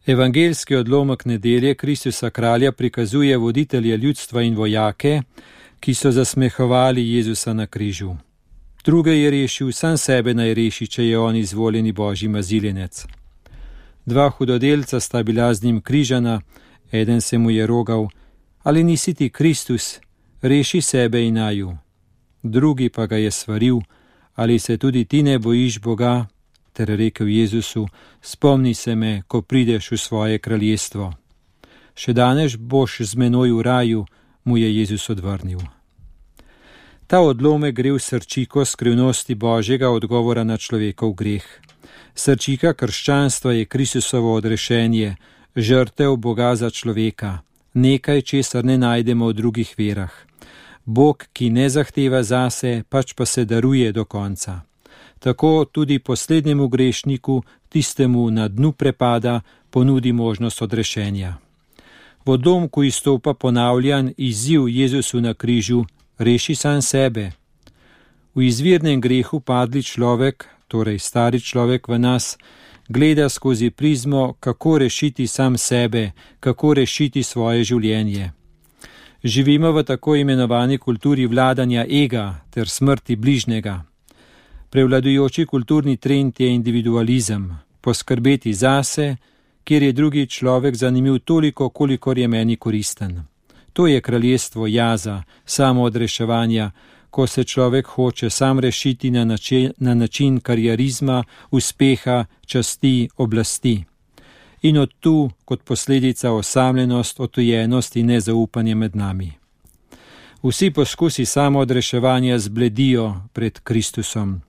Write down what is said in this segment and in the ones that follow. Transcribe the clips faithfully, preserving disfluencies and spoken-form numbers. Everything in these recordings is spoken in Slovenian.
Evangeljski odlomek nedelje Kristusa kralja prikazuje voditelje ljudstva in vojake, ki so zasmehovali Jezusa na križu. Druge je rešil, sam sebe naj reši, če je on izvoljeni Božji maziljenec. Dva hudodelca sta bila z njim križana, eden se mu je rogal: ali nisi ti Kristus, reši sebe in naju. Drugi pa ga je svaril: ali se tudi ti ne bojiš Boga, ter rekel Jezusu: spomni se me, ko prideš v svoje kraljestvo. Še danes boš z menoj v raju, mu je Jezus odvrnil. Ta odlomek gre v srčiko skrivnosti Božjega odgovora na človekov greh. Srčika krščanstva je Kristusovo odrešenje, žrtev Boga za človeka, nekaj, česar ne najdemo v drugih verah. Bog, ki ne zahteva zase, pač pa se daruje do konca. Tako tudi poslednjemu grešniku, tistemu na dnu prepada, ponudi možnost odrešenja. V odlomku izstopa ponavljan izziv Jezusu na križu: reši sam sebe. V izvirnem grehu padli človek, torej stari človek v nas, gleda skozi prizmo, kako rešiti sam sebe, kako rešiti svoje življenje. Živimo v tako imenovani kulturi vladanja ega ter smrti bližnjega. Prevladujoči kulturni trend je individualizem, poskrbeti zase, kjer je drugi človek zanimiv toliko, kolikor je meni koristen. To je kraljestvo jaza, samoodreševanja, ko se človek hoče sam rešiti na način, na način karierizma, uspeha, časti, oblasti. In od tu, kot posledica, osamljenost, otujenost in nezaupanje med nami. Vsi poskusi samoodreševanja zbledijo pred Kristusom.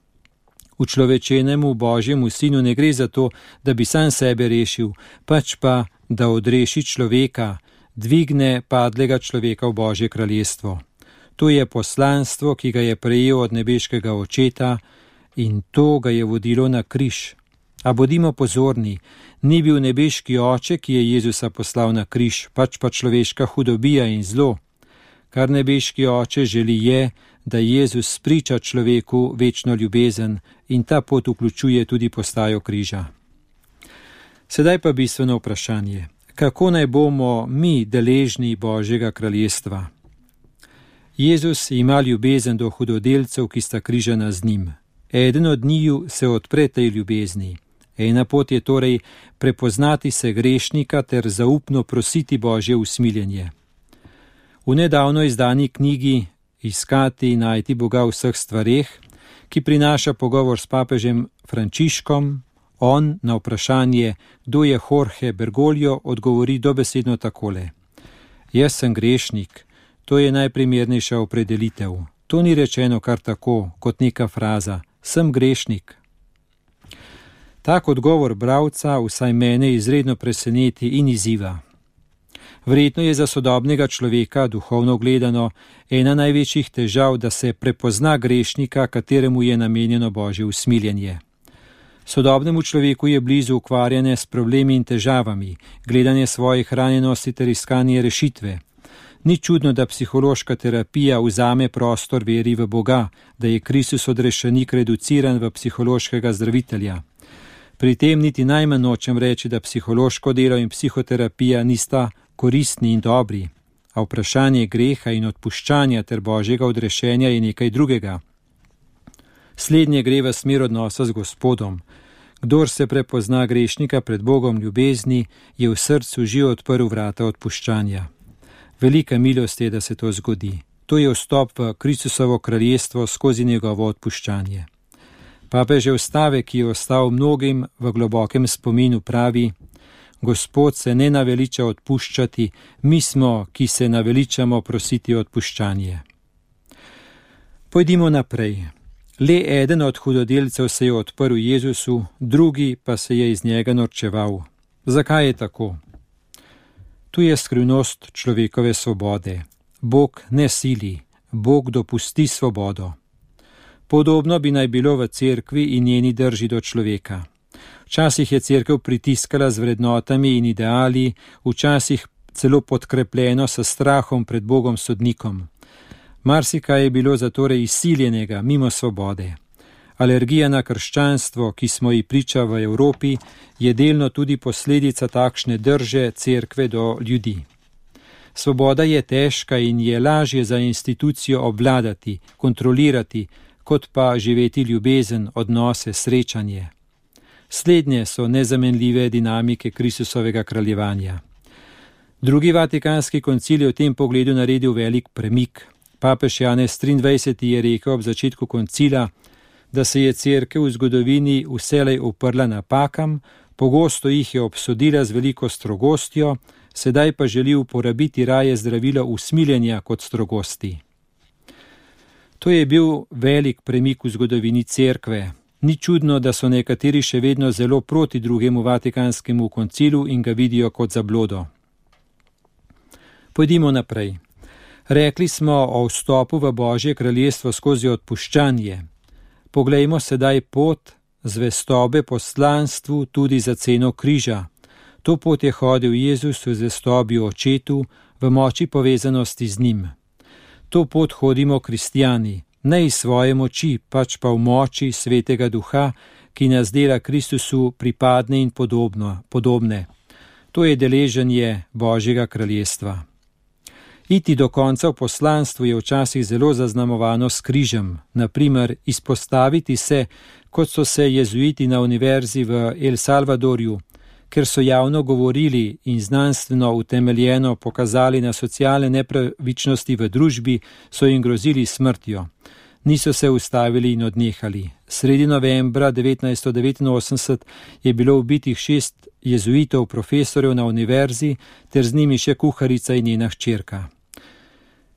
Učlovečenemu Božjemu sinu ne gre za to, da bi sam sebe rešil, pač pa, da odreši človeka, dvigne padlega človeka v Božje kraljestvo. To je poslanstvo, ki ga je prejel od nebeškega očeta, in to ga je vodilo na križ. A bodimo pozorni, ni bil nebeški oče, ki je Jezusa poslal na križ, pač pa človeška hudobija in zlo. Kar nebeški oče želi je, da Jezus spriča človeku večno ljubezen, in ta pot vključuje tudi postajo križa. Sedaj pa bistveno vprašanje: kako naj bomo mi deležni Božjega kraljestva? Jezus ima ljubezen do hudodelcev, ki sta križana z njim. Eden od njiju se odpre tej ljubezni. Ena pot je torej prepoznati se grešnika ter zaupno prositi Božje usmiljenje. V nedavno izdani knjigi Iskati in najti Boga v vseh stvareh, ki prinaša pogovor s papežem Frančiškom, on na vprašanje, kdo je Jorge Bergoglio, odgovori dobesedno takole: jaz sem grešnik, to je najprimernejša opredelitev. To ni rečeno kar tako, kot neka fraza, sem grešnik. Tak odgovor bralca vsaj mene izredno preseneti in izziva. Verjetno je za sodobnega človeka, duhovno gledano, ena največjih težav, da se prepozna grešnika, kateremu je namenjeno Božje usmiljenje. Sodobnemu človeku je blizu ukvarjanje s problemi in težavami, gledanje svojih ranjenosti ter iskanje rešitve. Ni čudno, da psihološka terapija vzame prostor veri v Boga, da je Kristus odrešenik reduciran v psihološkega zdravitelja. Pri tem niti najmanj nočem reči, da psihološko delo in psihoterapija nista koristni in dobri, a vprašanje greha in odpuščanja ter Božjega odrešenja je nekaj drugega. Slednje gre v smer odnosa z Gospodom. Kdor se prepozna grešnika pred Bogom ljubezni, je v srcu že odprl vrata odpuščanja. Velika milost je, da se to zgodi. To je vstop v Kristusovo kraljestvo skozi njegovo odpuščanje. Papežev stavek, ki je ostal mnogim v globokem spominu, pravi: Gospod se ne naveliča odpuščati, mi smo, ki se naveličamo prositi odpuščanje. Pojdimo naprej. Le eden od hudodelcev se je odprl Jezusu, drugi pa se je iz njega norčeval. Zakaj je tako? Tu je skrivnost človekove svobode. Bog ne sili, Bog dopusti svobodo. Podobno bi naj bilo v cerkvi in njeni drži do človeka. Včasih je cerkev pritiskala z vrednotami in ideali, včasih celo podkrepljeno s strahom pred Bogom sodnikom. Marsikaj je bilo zatorej izsiljenega, mimo svobode. Alergija na krščanstvo, ki smo ji priča v Evropi, je delno tudi posledica takšne drže cerkve do ljudi. Svoboda je težka in je lažje za institucijo obvladati, kontrolirati, kot pa živeti ljubezen, odnose, srečanje. Slednje so nezamenljive dinamike Kristusovega kraljevanja. Drugi vatikanski koncil je v tem pogledu naredil velik premik. Papež Janez triindvajseti je rekel ob začetku koncila, da se je cerkev v zgodovini vselej uprla napakam, pogosto jih je obsodila z veliko strogostjo, sedaj pa želi uporabiti raje zdravilo usmiljenja kot strogosti. To je bil velik premik v zgodovini cerkve. Ni čudno, da so nekateri še vedno zelo proti drugemu vatikanskemu koncilu in ga vidijo kot zablodo. Pojdimo naprej. Rekli smo o vstopu v Božje kraljestvo skozi odpuščanje. Poglejmo sedaj pot zvestobe poslanstvu tudi za ceno križa. To pot je hodil Jezus v zvestobi očetu, v moči povezanosti z njim. To pot hodimo kristjani, ne iz svoje moči, pač pa v moči Svetega Duha, ki nas dela Kristusu pripadne in podobno, podobne. To je deleženje Božjega kraljestva. Iti do konca v poslanstvu je včasih zelo zaznamovano s križem, naprimer izpostaviti se, kot so se jezuiti na univerzi v El Salvadorju, ker so javno govorili in znanstveno utemeljeno pokazali na socialne nepravičnosti v družbi, so jim grozili smrtjo. Niso se ustavili in odnehali. Sredi novembra devetnajststo devetinosemdeset je bilo ubitih šest jezuitov profesorjev na univerzi, ter z njimi še kuharica in njena hčerka.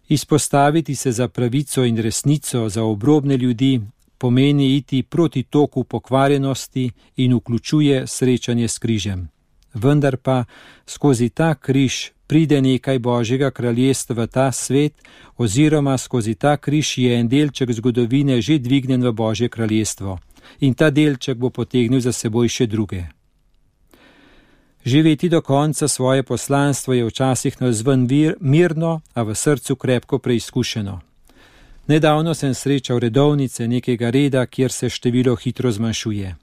Izpostaviti se za pravico in resnico, za obrobne ljudi, pomeni iti proti toku pokvarjenosti in vključuje srečanje s križem. Vendar pa skozi ta križ pride nekaj Božjega kraljestva v ta svet, oziroma skozi ta križ je en delček zgodovine že dvignjen v Božje kraljestvo in ta delček bo potegnil za seboj še druge. Živeti do konca svoje poslanstvo je včasih navzven mirno, a v srcu krepko preizkušeno. Nedavno sem srečal redovnice nekega reda, kjer se število hitro zmanjšuje.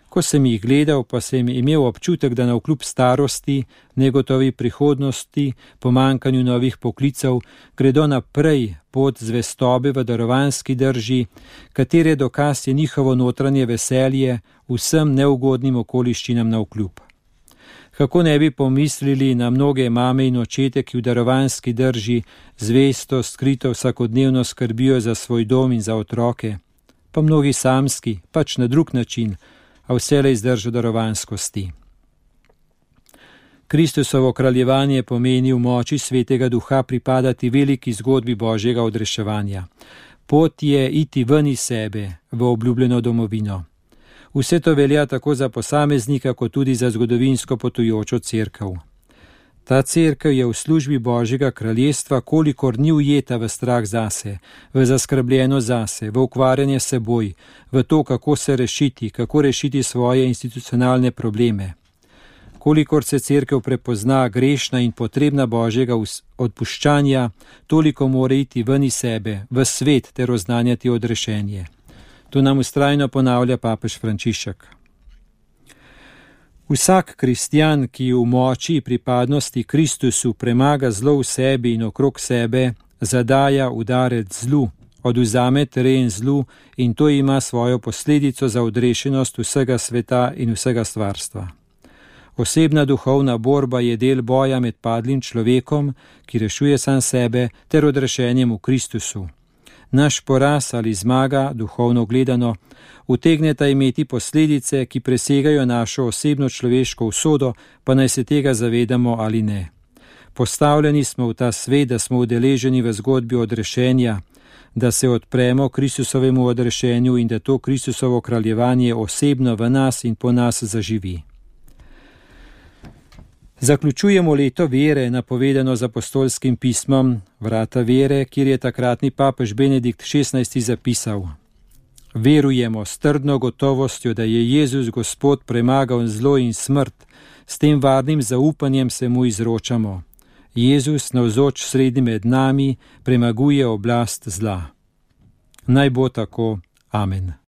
Ko sem jih gledal, pa sem imel občutek, da navkljub starosti, negotovi prihodnosti, pomankanju novih poklicev, gredo naprej pot zvestobe v darovanski drži, katere dokaz je njihovo notranje veselje vsem neugodnim okoliščinam navkljub. Kako ne bi pomislili na mnoge mame in očete, ki v darovanski drži zvesto, skrito vsakodnevno skrbijo za svoj dom in za otroke, pa mnogi samski, pač na drug način, a vselej zdržo darovanskosti. Kristusovo kraljevanje pomeni v moči Svetega Duha pripadati veliki zgodbi Božjega odreševanja. Pot je iti ven iz sebe, v obljubljeno domovino. Vse to velja tako za posameznika, kot tudi za zgodovinsko potujočo cerkev. Ta cerkev je v službi Božjega kraljestva, kolikor ni ujeta v strah zase, v zaskrbljeno zase, v ukvarjanje seboj, v to, kako se rešiti, kako rešiti svoje institucionalne probleme. Kolikor se cerkev prepozna grešna in potrebna Božjega odpuščanja, toliko mora iti ven iz sebe, v svet ter oznanjati odrešenje. To nam vztrajno ponavlja papež Frančišek. Vsak kristjan, ki v moči pripadnosti Kristusu premaga zlo v sebi in okrog sebe, zadaja udarec zlu, odvzame teren zlu in to ima svojo posledico za odrešenost vsega sveta in vsega stvarstva. Osebna duhovna borba je del boja med padlim človekom, ki rešuje sam sebe, ter odrešenjem v Kristusu. Naš poraz ali zmaga, duhovno gledano, utegneta imeti posledice, ki presegajo našo osebno človeško usodo, pa naj se tega zavedamo ali ne. Postavljeni smo v ta svet, da smo udeleženi v zgodbi odrešenja, da se odpremo Kristusovemu odrešenju in da to Kristusovo kraljevanje osebno v nas in po nas zaživi. Zaključujemo leto vere, napovedano z apostolskim pismom Vrata vere, kjer je takratni papež Benedikt šestnajsti zapisal: Verujemo s trdno gotovostjo, da je Jezus Gospod premagal zlo in smrt, s tem varnim zaupanjem se mu izročamo. Jezus, navzoč sredi med nami, premaguje oblast zla. Naj bo tako. Amen.